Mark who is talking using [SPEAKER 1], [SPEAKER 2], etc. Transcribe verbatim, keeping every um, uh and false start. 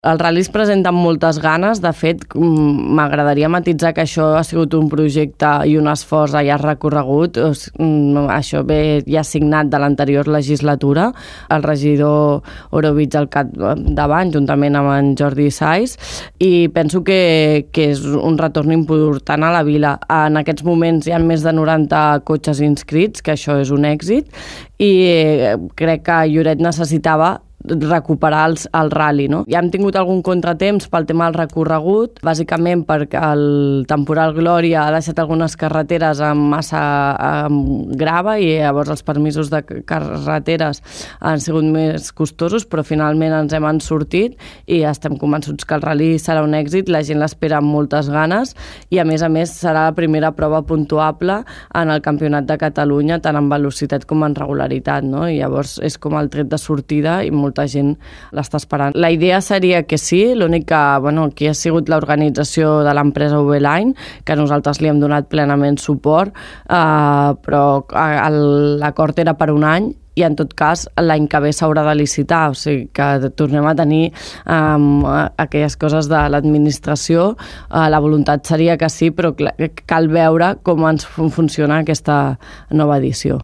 [SPEAKER 1] El ral·li es presenta amb moltes ganes. De fet, m'agradaria matitzar que això ha sigut un projecte i un esforç a llarg recorregut. Això ve ja signat de l'anterior legislatura. El regidor Orovitz al capdavant, juntament amb en Jordi Saiz, i penso que, que és un retorn important a la vila. En aquests moments hi ha més de noranta cotxes inscrits, que això és un èxit, i crec que Lloret necessitava recuperar els, el ral·li, no? Ja hem tingut algun contratemps pel tema del recorregut, bàsicament perquè el temporal Glòria ha deixat algunes carreteres amb massa amb grava i llavors els permisos de carreteres han sigut més costosos, però finalment ens hem en sortit i estem convençuts que el ral·li serà un èxit, la gent l'espera amb moltes ganes i a més a més serà la primera prova puntuable en el Campionat de Catalunya, tant en velocitat com en regularitat, no? I llavors és com el tret de sortida i molt molta gent l'està esperant. La idea seria que sí, l'únic que, bueno, aquí ha sigut l'organització de l'empresa U B Line, que nosaltres li hem donat plenament suport, eh, però l'acord era per un any i en tot cas l'any que ve s'haurà de licitar, o sigui que tornem a tenir um, aquelles coses de l'administració. Uh, la voluntat seria que sí, però cal veure com ens funciona aquesta nova edició.